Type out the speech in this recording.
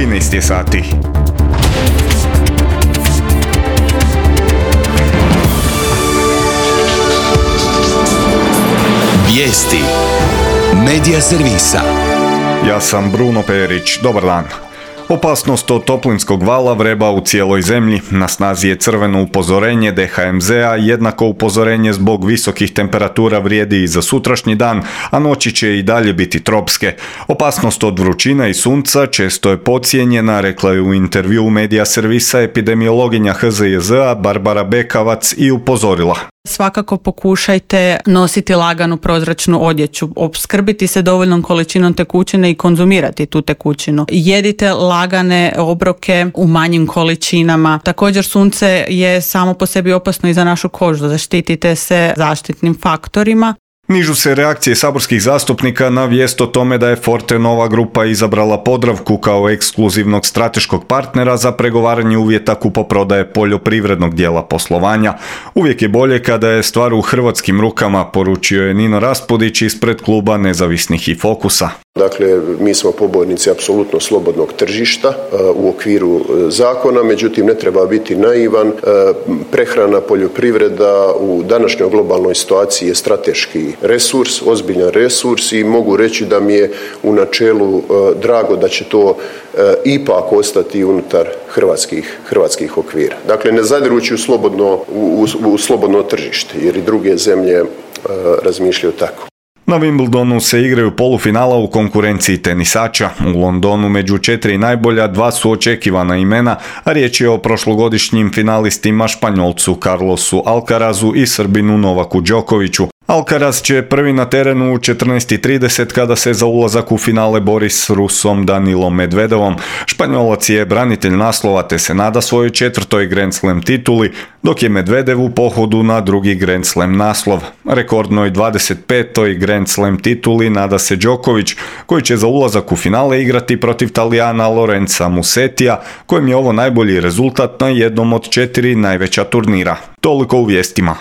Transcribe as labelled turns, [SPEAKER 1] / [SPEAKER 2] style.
[SPEAKER 1] 13 je sati.
[SPEAKER 2] Vijesti Medija servisa.
[SPEAKER 1] Ja sam Bruno Perić, dobar dan. Opasnost od toplinskog vala vreba u cijeloj zemlji. Na snazi je crveno upozorenje DHMZ-a, jednako upozorenje zbog visokih temperatura vrijedi i za sutrašnji dan, a noći će i dalje biti tropske. Opasnost od vrućine i sunca često je podcijenjena, rekla je u intervjuu Medija servisa epidemiologinja HZJZ-a Barbara Bekavac i upozorila.
[SPEAKER 3] Svakako pokušajte nositi laganu prozračnu odjeću, opskrbiti se dovoljnom količinom tekućine i konzumirati tu tekućinu. Jedite lagane obroke u manjim količinama. Također sunce je samo po sebi opasno i za našu kožu, zaštitite se zaštitnim faktorima.
[SPEAKER 1] Nižu se reakcije saborskih zastupnika na vijest o tome da je Fortenova grupa izabrala Podravku kao ekskluzivnog strateškog partnera za pregovaranje uvjeta kupoprodaje poljoprivrednog dijela poslovanja. Uvijek je bolje kada je stvar u hrvatskim rukama, poručio je Nino Raspudić ispred kluba Nezavisnih i Fokusa.
[SPEAKER 4] Dakle, mi smo pobornici apsolutno slobodnog tržišta u okviru zakona, međutim ne treba biti naivan. Prehrana, poljoprivreda u današnjoj globalnoj situaciji je strateški resurs, ozbiljan resurs i mogu reći da mi je u načelu drago da će to ipak ostati unutar hrvatskih okvira. Dakle, ne zadirući u slobodno tržište, jer i druge zemlje razmišljaju tako.
[SPEAKER 1] Na Wimbledonu se igraju polufinala u konkurenciji tenisača. U Londonu među 4 najbolja 2 su očekivana imena, a riječ je o prošlogodišnjim finalistima Španjolcu Carlosu Alcarazu i Srbinu Novaku Đokoviću. Alcaraz će prvi na terenu u 14:30 kada se za ulazak u finale bori s Rusom Danilom Medvedevom. Španjolac je branitelj naslova te se nada svojoj 4. Grand Slam tituli, dok je Medvedev u pohodu na drugi Grand Slam naslov. Rekordnoj 25. Grand Slam tituli nada se Đoković, koji će za ulazak u finale igrati protiv Talijana Lorenza Musetija, kojem je ovo najbolji rezultat na jednom od 4 najveća turnira. Toliko u vijestima.